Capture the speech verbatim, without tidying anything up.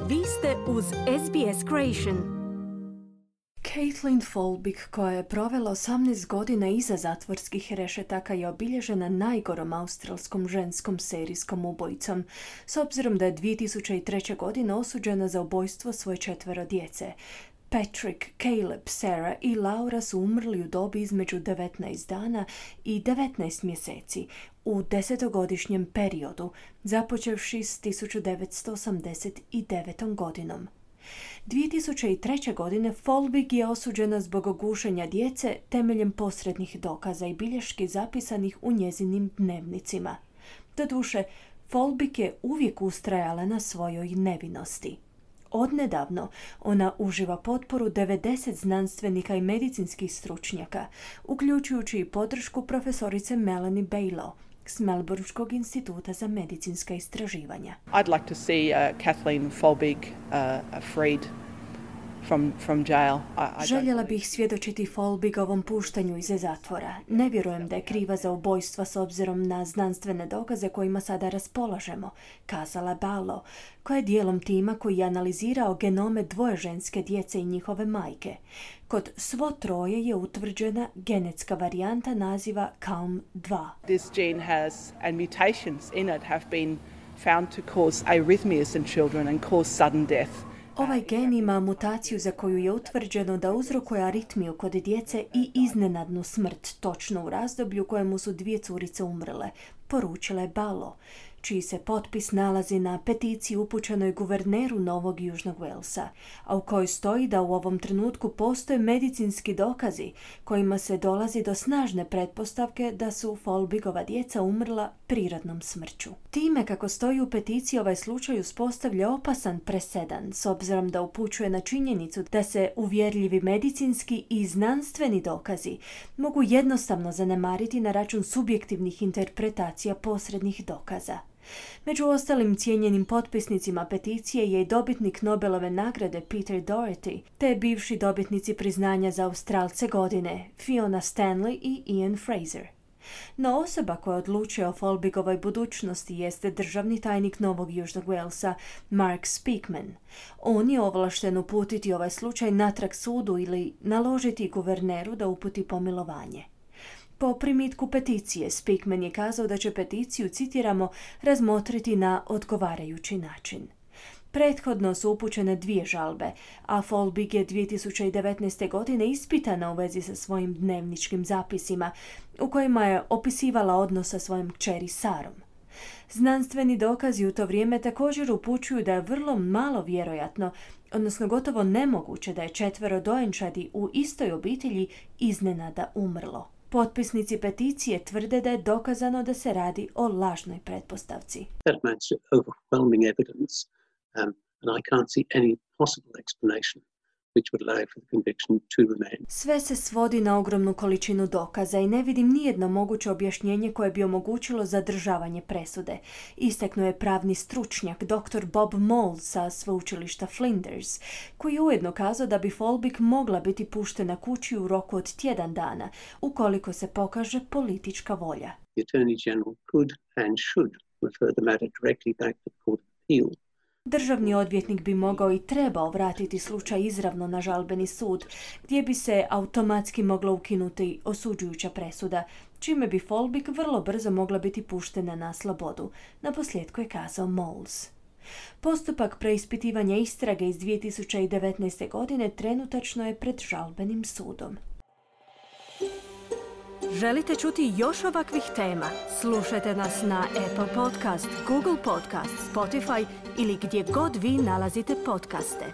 Vi ste uz S B S Creation. Caitlin Folbig, koja je provela osamnaest godina iza zatvorskih rešetaka, je obilježena najgorom australskom ženskom serijskom ubojicom, s obzirom da je dvije tisuće treće. godine osuđena za ubojstvo svoje četvero djece. Patrick, Caleb, Sarah i Laura su umrli u dobi između devetnaest dana i devetnaest mjeseci u desetogodišnjem periodu, započevši s tisuću devetsto osamdeset devetom. godinom. dvije tisuće treće. godine Folbig je osuđena zbog gušenja djece temeljem posrednih dokaza i bilješki zapisanih u njezinim dnevnicima. Doduše, Folbig je uvijek ustrajala na svojoj nevinosti. Odnedavno ona uživa potporu devedeset znanstvenika i medicinskih stručnjaka, uključujući i podršku profesorice Melanie Baylow s Melbourneškog instituta za medicinska istraživanja. I'd like to see uh, Kathleen Folbig uh, freed from from jail. I, I Željela bih svjedočiti Folbigovom puštanju iz zatvora. Ne vjerujem da je kriva za ubojstva s obzirom na znanstvene dokaze kojima sada raspolažemo, kazala Baylow, koja je dijelom tima koji je analizirao genome dvoje ženske djece i njihove majke. Kod svo troje je utvrđena genetska varijanta naziva C A L M dva. This gene has and mutations in it have been found to cause arrhythmias in children and cause sudden death. Ovaj gen ima mutaciju za koju je utvrđeno da uzrokuje aritmiju kod djece i iznenadnu smrt, točno u razdoblju u kojemu su dvije curice umrle, poručila je Baylow, čiji se potpis nalazi na peticiji upućenoj guverneru Novog Južnog Walesa, a u kojoj stoji da u ovom trenutku postoje medicinski dokazi kojima se dolazi do snažne pretpostavke da su Folbigova djeca umrla prirodnom smrću. Time, kako stoji u peticiji, ovaj slučaj uspostavlja opasan presedan, s obzirom da upućuje na činjenicu da se uvjerljivi medicinski i znanstveni dokazi mogu jednostavno zanemariti na račun subjektivnih interpretacija posrednih dokaza. Među ostalim cijenjenim potpisnicima peticije je i dobitnik Nobelove nagrade Peter Doherty, te bivši dobitnici priznanja za Australce godine Fiona Stanley i Ian Fraser. No osoba koja odlučuje o Folbigovoj budućnosti jeste državni tajnik Novog Južnog Walesa Mark Speakman. On je ovlašten uputiti ovaj slučaj natrag sudu ili naložiti guverneru da uputi pomilovanje. Po primitku peticije, Speakman je kazao da će peticiju, citiramo, razmotriti na odgovarajući način. Prethodno su upućene dvije žalbe, a Folbig je dvije tisuće devetnaeste. godine ispitana u vezi sa svojim dnevničkim zapisima, u kojima je opisivala odnos sa svojom kćeri Sarom. Znanstveni dokazi u to vrijeme također upućuju da je vrlo malo vjerojatno, odnosno gotovo nemoguće da je četvero dojenčadi u istoj obitelji iznenada umrlo. Potpisnici peticije tvrde da je dokazano da se radi o lažnoj pretpostavci. That amounts to overwhelming evidence, um, and I can't see any possible explanation which would allow for the conviction to remain. Sve se svodi na ogromnu količinu dokaza i ne vidim nijedno moguće objašnjenje koje bi omogućilo zadržavanje presude, istaknuo je pravni stručnjak doktor Bob Mould sa sveučilišta Flinders, koji je ujedno kazao da bi Folbig mogla biti puštena kući u roku od tjedan dana, ukoliko se pokaže politička volja. The Attorney General could and should refer the matter directly back to the Court of Appeal. Državni odvjetnik bi mogao i trebao vratiti slučaj izravno na žalbeni sud, gdje bi se automatski mogla ukinuti osuđujuća presuda, čime bi Folbig vrlo brzo mogla biti puštena na slobodu, naposljetku je kazao Moles. Postupak preispitivanja istrage iz dvije tisuće devetnaeste. godine trenutačno je pred žalbenim sudom. Želite čuti još ovakvih tema? Slušajte nas na Apple Podcast, Google Podcast, Spotify ili gdje god vi nalazite podcaste.